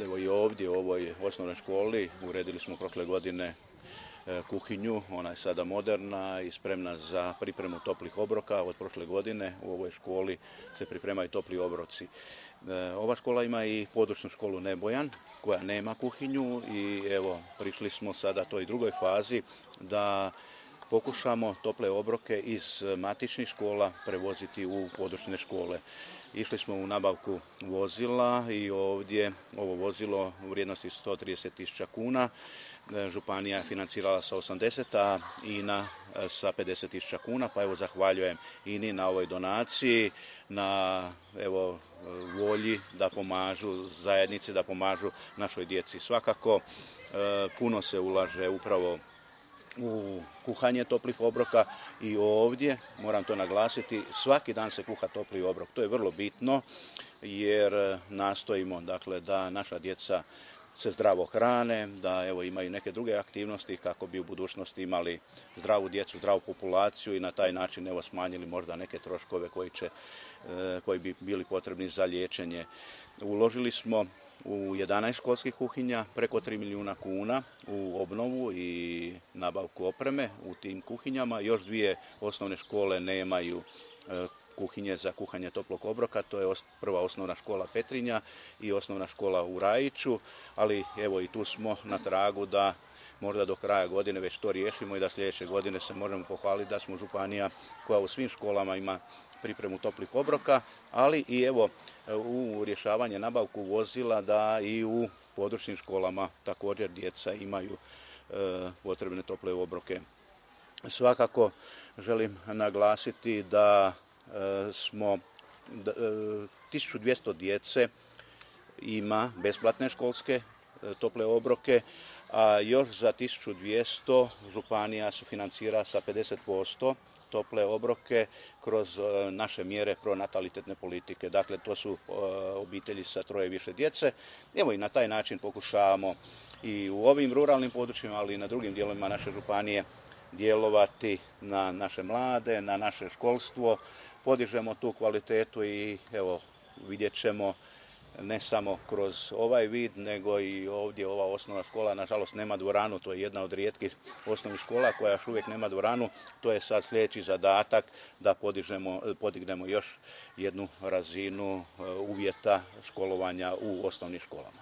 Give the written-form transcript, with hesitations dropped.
Evo i ovdje u ovoj osnovnoj školi uredili smo prošle godine kuhinju, ona je sada moderna i spremna za pripremu toplih obroka. Od prošle godine u ovoj školi se pripremaju topli obroci. Ova škola ima i područnu školu Nebojan koja nema kuhinju i evo prišli smo sada toj drugoj fazi da pokušamo tople obroke iz matičnih škola prevoziti u područne škole. Išli smo u nabavku vozila i ovdje ovo vozilo u vrijednosti 130.000 kuna. Županija je financirala sa 80, a INA sa 50.000 kuna, pa evo zahvaljujem INI na ovoj donaciji, na evo volji da pomažu zajednici, da pomažu našoj djeci. Svakako puno se ulaže upravo u kuhanje toplih obroka i ovdje, moram to naglasiti, svaki dan se kuha topli obrok. To je vrlo bitno jer nastojimo dakle, da naša djeca se zdravo hrane, da evo imaju neke druge aktivnosti kako bi u budućnosti imali zdravu djecu, zdravu populaciju i na taj način evo smanjili možda neke troškove koji bi bili potrebni za liječenje. Uložili smo u 11 školskih kuhinja preko 3 milijuna kuna u obnovu i nabavku opreme u tim kuhinjama. Još dvije osnovne škole nemaju kuhinje za kuhanje toplog obroka, to je prva osnovna škola Petrinja i osnovna škola u Rajiću, ali evo i tu smo na tragu da možda do kraja godine već to riješimo i da sljedeće godine se možemo pohvaliti da smo županija koja u svim školama ima pripremu toplih obroka, ali i evo u rješavanje nabavku vozila da i u područnim školama također djeca imaju potrebne tople obroke. Svakako želim naglasiti da smo 1200 djece ima besplatne školske tople obroke, a još za 1200 županija sufinancira sa 50% tople obroke kroz naše mjere pronatalitetne politike. Dakle, to su obitelji sa 3 i više djece. Evo i na taj način pokušavamo i u ovim ruralnim područjima, ali i na drugim dijelovima naše županije djelovati na naše mlade, na naše školstvo. Podižemo tu kvalitetu i evo vidjet ćemo ne samo kroz ovaj vid, nego i ovdje ova osnovna škola, nažalost nema dvoranu, to je jedna od rijetkih osnovnih škola koja još uvijek nema dvoranu. To je sad sljedeći zadatak da podignemo još jednu razinu uvjeta školovanja u osnovnim školama.